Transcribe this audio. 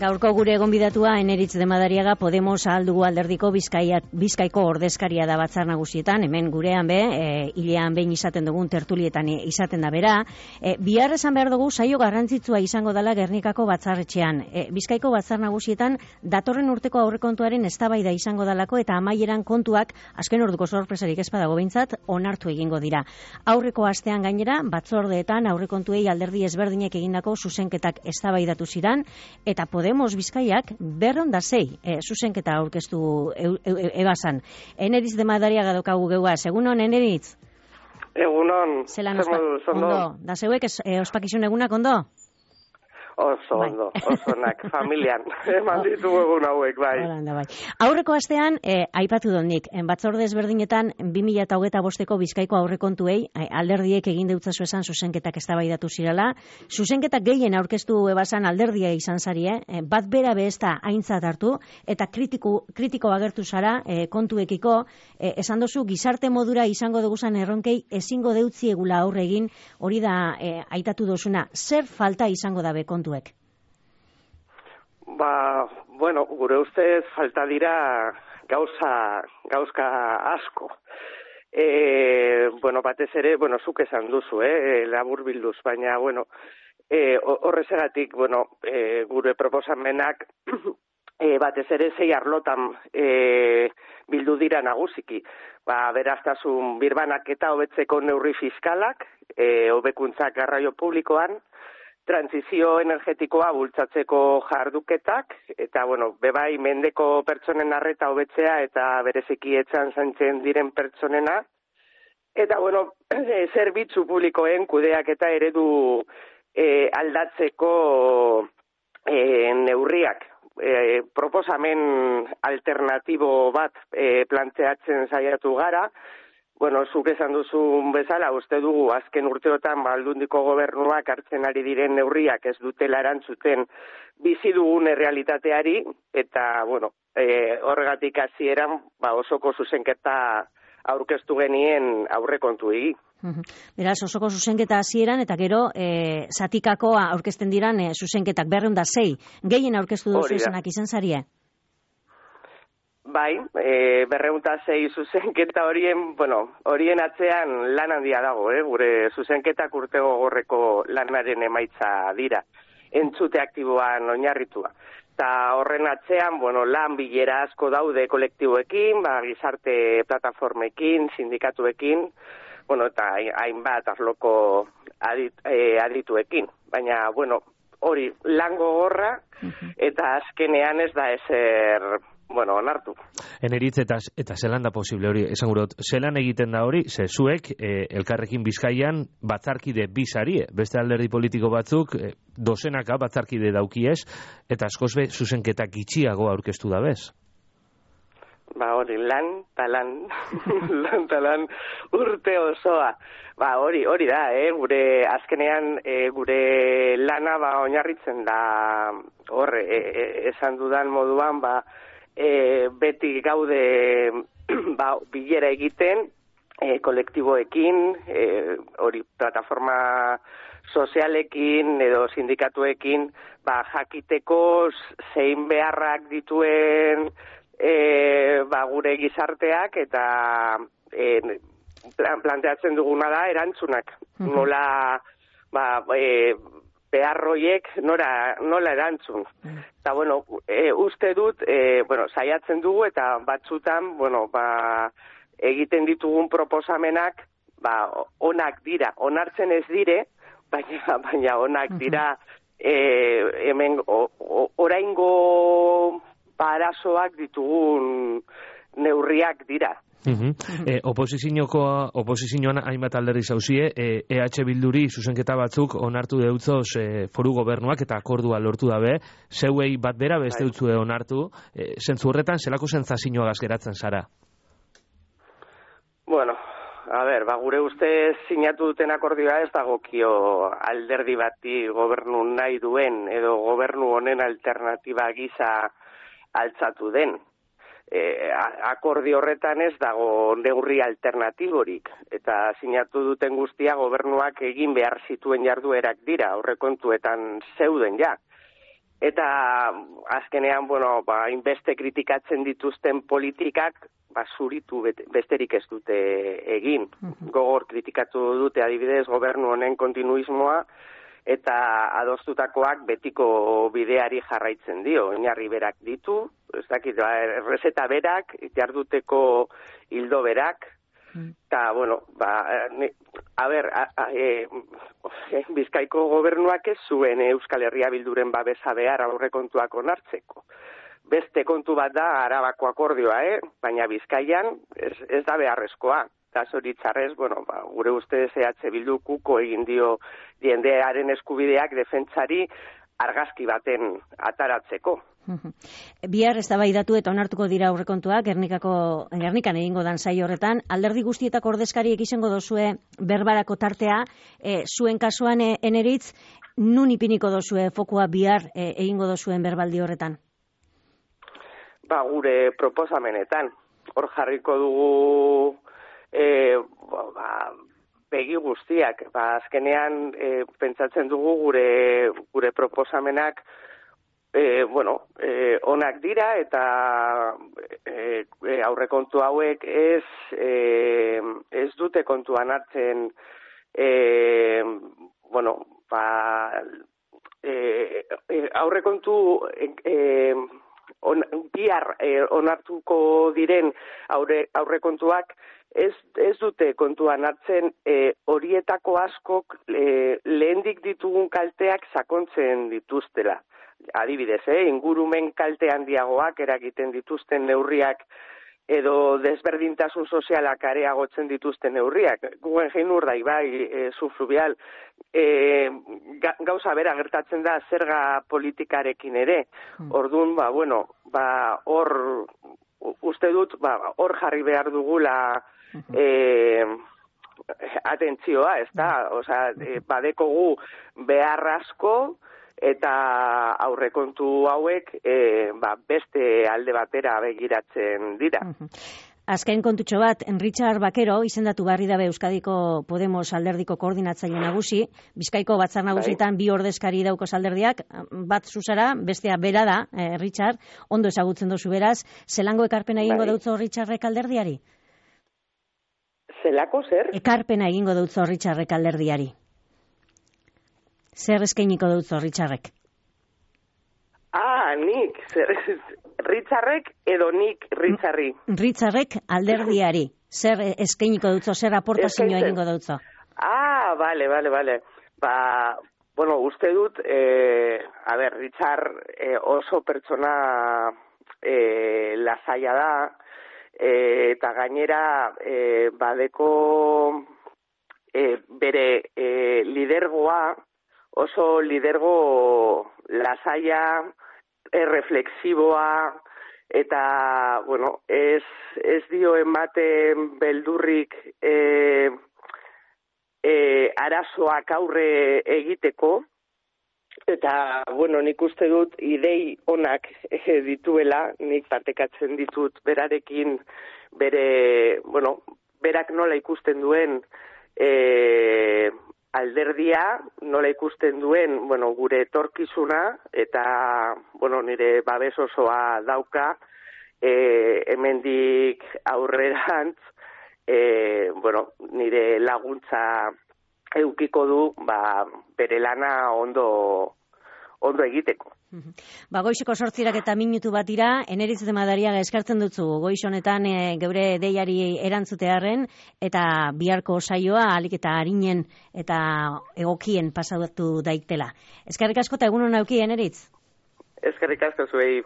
Gaurko gure gonbidatua Eneritz de Madariaga Podemos Ahaldugu Alderdiko Bizkaiko ordezkaria da batzar nagusietan, hemen gurean hilean behin izaten dugun tertulietan izaten da bera. Bihar esan behar dugu saio garrantzitsua izango dela Gernikako batzarretxean. Bizkaiko batzar nagusietan datorren urteko aurrekontuaren eztabaida izango dalako eta amaieran kontuak azken orduko sorpresarik ez badago behintzat onartu egingo dira. Aurreko astean gainera batzordeetan aurrekontuei alderdi ezberdinek egindako zuzenketak eztabaidatu ziran eta Podemos Bizkaiak 206 zuzenketa aurkeztu ebazan. Eneritz de Madariaga daukagu geuaz. Egunon, Eneritz? Egunon. Zelan ondo. Da zeuek ospakizun egunak ondo? Oso ondo, oso onak, familian. Eman ditugu egun hauek, bai. Aurreko astean, aipatu donik, batzorde ezberdinetan 2025ko Bizkaiko aurrekontuei alderdiek egin deutzazu esan zuzenketak eztabaidatu zirala. Zuzenketak gehien aurkeztu ebazan alderdia izan zarie, bat bera behezta aintzat hartu, eta kritiko agertu zara kontuekiko, esan dozu gizarte modura izango duguzan erronkei ezingo deutziegula aurre egin, hori da aitatu dozuna. Zer falta izango dabe kontuek? Bueno, gure ustez falta dira gauzka asko. Batez ere, zuk esan duzu, labur bilduz, baina, horrezegatik, gure proposamenak batez ere 6 arlotan bildu dira nagusiki. Beraztasun birbanak eta hobetzeko neurri fiskalak, hobekuntzak garraio publikoan, transizio energetikoa bultzatzeko jarduketak, eta, bebai mendeko pertsonen arreta hobetzea eta bereziki etxan zaintzen diren pertsonena, eta, zerbitzu publikoen kudeak eta eredu aldatzeko neurriak. Proposamen alternatibo bat planteatzen saiatu gara. Zuk esan duzun bezala, uste dugu azken urteotan Aldundiko gobernuak hartzen ari diren neurriak ez dutela erantzuten bizi dugun errealitateari, eta, horregatik hasieran osoko zuzenketa aurkeztu genien aurrekontuei. Beraz, osoko zuzenketa hasieran eta gero zatikakoa aurkezten diran zuzenketak 206, gehien aurkeztu duzu izanak izan zarie? Bai, 206 zuzenketa horien atzean lan handia dago, gure zuzenketak urte gogorreko lanaren emaitza dira, entzute aktiboan oinarritua. Eta horren atzean, lan bilera asko daude kolektiboekin, gizarte plataformekin, sindikatuekin, eta hainbat arloko adituekin. Baina, hori lan gogorra eta azkenean ez da ezer onartu. Eneritz eta zelan da posible hori, esan gurot, zelan egiten da hori, zuek Elkarrekin Bizkaian batzarkide bizarie, beste alderdi politiko batzuk dozenaka batzarkide daukiez, eta askoz be zuzenketak gitxiago aurkeztu da bez? Hori, lan urte osoa. Hori da, gure azkenean gure lana oinarritzen da, esan dudan moduan, beti gaude bilera egiten kolektiboekin, hori plataforma sozialekin edo sindikatuekin, jakiteko zein beharrak dituen gure gizarteak eta planteatzen duguna da erantzunak. Nola beharroiek nola erantzun. Eta, uste dut, saiatzen dugu eta batzutan, egiten ditugun proposamenak, onak dira. Onartzen ez dire, baina onak dira, hemen oraingo arazoak ditugun neurriak dira. Oposizioan hainbat alderdi zauzie, EH Bilduri zuzenketa batzuk onartu deutzoz foru gobernuak eta akordua lortu dabe, zeuei bat bera beste dutzue onartu, zentzu horretan zelako sentsazioagaz geratzen zara? Gure ustez sinatu duten akordioa ez dagokio alderdi bati gobernu nahi duen edo gobernu honen alternatiba gisa altzatu den. Akordio horretan ez dago neurri alternatiborik, eta sinatu duten guztia gobernuak egin behar zituen jarduerak dira, aurrekontuetan zeuden ja. eta azkenean, bueno, inbeste kritikatzen dituzten politikak, zuritu besterik ez dute egin. Gogor kritikatu dute adibidez gobernu honen kontinuismoa, eta adostutakoak betiko bideari jarraitzen dio. Oinarri berak ditu, ez dakit, errezeta berak, jarduteko hildo berak, eta, bueno, Bizkaiko gobernuak ez zuen Euskal Herria Bilduren babesa behar aurrekontuak onartzeko. Beste kontu bat da Arabako akordioa, baina Bizkaian ez da beharrezkoa. Eta zoritxarrez, bueno, gure ustez EH Bildu kuko egin dio jendearen eskubideak defentsari argazki baten ataratzeko. Bihar eztabaidatu eta onartuko dira aurrekontuak Gernikan egingo dan saio horretan. Alderdi guztietako ordezkariek izango dozue berbarako tartea, zuen kasuan Eneritz, nun ipiniko dozue fokua bihar egingo dozuen berbaldi horretan? Gure proposamenetan. Hor jarriko dugu begi guztiak. Azkenean pentsatzen dugu gure proposamenak onak dira eta aurrekontu hauek ez dute kontuan hartzen aurrekontu bihar onartuko diren aurrekontuak ez dute kontuan hartzen horietako askok lehendik ditugun kalteak sakontzen dituztela. Adibidez, ingurumen kalte handiagoak eragiten dituzten neurriak edo desberdintasun sozialak areagotzen dituzten neurriak. Guggenheim Urdaibai, subfluvial, gauza bera gertatzen da zerga politikarekin ere. Orduan, hor uste dut, hor jarri behar dugula atentzioa, ez da? Osea, badekogu behar asko, eta aurrekontu hauek beste alde batera begiratzen dira. Azken kontutxo bat, Richard Bakero izendatu barri dabe Euskadiko Podemos alderdiko koordinatzaile nagusi, Bizkaiko batzar nagusietan bi ordezkari dauko alderdiak, bat zuzara, bestea bera da, Richard, ondo ezagutzen dozu beraz, zelango ekarpena egingo dautzo Richardrek alderdiari? Zelako zer? Ekarpena egingo dautzo Richardrek alderdiari. Zer eskainiko dutzo Richardrek? Nik. Richardrek edo nik Richardri? Richardrek alderdiari. Zer eskainiko dutzo, zer aportazioa egingo dutzo? Bale. Uste dut, Richard oso pertsona lasaia da, eta gainera badeko bere lidergoa, oso lidergo lasaia, reflexiboa, eta, ez dio ematen beldurrik arazoak aurre egiteko, eta, nik uste dut idei onak dituela, nik partekatzen ditut berarekin berak nola ikusten duen alderdia, nola ikusten duen, gure etorkizuna, eta, nire babes osoa dauka, hemendik aurrerantz, nire laguntza eukiko du, bere lana ondo egiteko. Goizeko 8 eta minutu bat dira, Eneritz de Madariaga eskartzen dutzu goiz honetan geure deiari erantzutearren, eta biharko saioa ahalik eta arinen eta egokien pasatu daitela. Eskerrik asko eta egun hona auki, Eneritz. Eskerrik asko zuei.